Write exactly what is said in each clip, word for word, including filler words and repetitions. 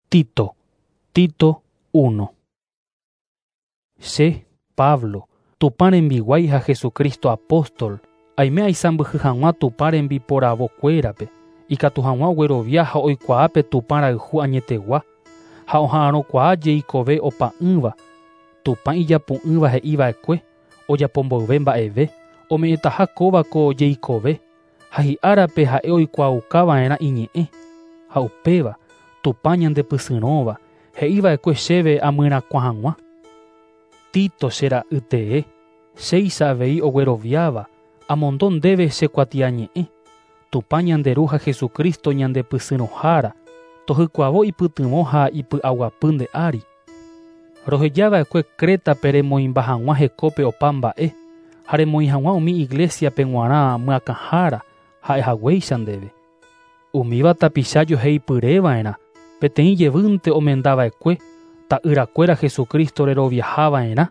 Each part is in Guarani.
Tito, Tito uno. Che, Pablo, Tupã rembiguái ha Jesucristo apóstol, aime aisãmbyhy hag̃ua Tupã rembiporavokuérape, ikatu hag̃ua oguerovia ha oikuaápe Tupã rayhu añetegua, ha oha'arõkuaa jeikove opa'ỹva, Tupã ijapu'ỹva he'iva'ekue, ojapomboyve mba'eve, ome'ẽtaha kóva ko jeikove, ha hi'árape ha'e oikuaaukava'erã iñe'ẽ, ha upéva, Tupã ñandepysyrõva, he'iva'ekue chéve amyrakuã hag̃ua. Tito che ra'y tee, chéicha avei ogueroviáva, amondo ndéve che kuatiañe'ẽ, Tupã ñande Ru ha Jesucristo ñandepysyrõhára, tohykuavo ipytyvõ ha ipy'aguapy nde ári. Rohejava'ekue Crétape remoĩmba hag̃ua hekópe opa mba'e, ha remoĩ hag̃ua umi iglesiape g̃uarã myakãhára ha'ehaguéicha ndéve. Umíva tapicha joheipyreva'erã, peteĩ jevýnte omendava'ekue, ta'yrakuéra Jesucristo reroviahava'erã,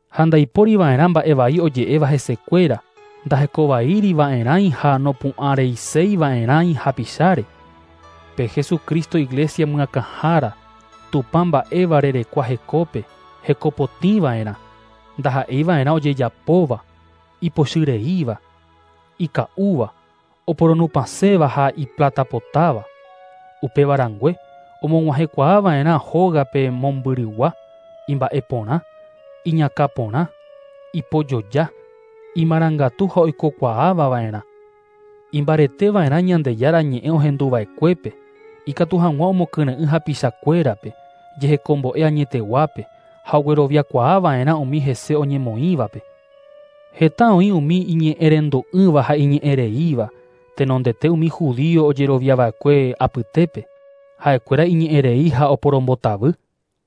ha ndaipóriva'erã mba'evai oje'éva hesekuéra, ndahekovaíriva'erãi ha nopu'ãreiseiva'erãi hapicháre. Pe Jesucristo iglesia myakãhára, Tupã mba'éva rerekua hekópe, hekopotĩva'erã, ndaha'eiva'erã ojejapóva, ipochyreíva, ika'úva, oporonupãséva ha iplatapotáva. Upéva rangue, omog̃uahẽkuaava'erã hógape mombyrygua, imba'eporã, iñakãporã, ipojoja, imarangatu ha oikokuaavava'erã. Imbareteva'erã Ñandejára ñe'ẽ ohenduva'ekuépe, ikatu hag̃ua omokyre'ỹ hapichakuérape, jehekombo'e añeteguápe ha ogueroviakuaava'erã umi hese oñemoĩvape. Heta oĩ umi iñe'ẽrendu'ỹva ha iñe'ẽreíva, tenondete umi judío ojeroviava'ekue apytépe, ha'ekuéra iñe'ẽrei ha oporombotavy,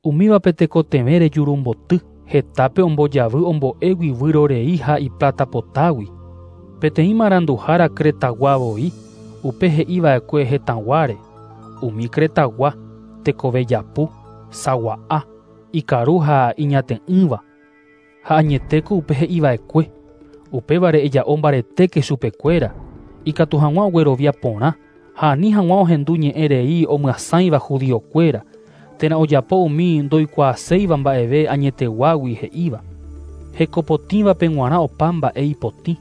umívape tekotevẽ rejurumboty, hetápe ombojavy ombo'égui vyrorei ha iplatapotágui. Peteĩ maranduhára Cretagua voi, upe he'iva'ekue hetãguáre, umi Cretagua, tekove japu, sagua'a, ikaru ha iñate'ỹva. Ha añetéko upe he'iva'ekue, upévare eja'o mbaretéke chupekuéra, ikatu hag̃ua oguerovia porã, ha ani hag̃ua ohendu ñe'ẽrei omyasãiva judiokuéra, térã ojapo umi ndoikuaaséiva mba'eve añeteguágui he'íva. Hekopotĩvape g̃uarã opa mba'e ipotĩ,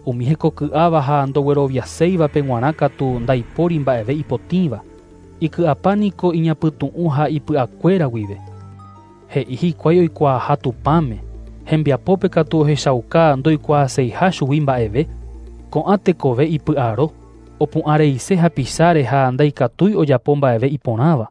umi hekoky'áva ha ndogueroviaséivape g̃uarã katu ndaipóri mba'eve ipotĩva, iky'apa niko iñapytu'ũ ha ipy'akuéra guive. He'i hikuái oikuaaha Tupãme, hembiapópe katu ohechauka ndoikuaaseiha chugui mba'eve, ko'ã tekove ipy'aro, opu'ãreise hapicháre ha ndaikatúi ojapo mba'eve iporãva.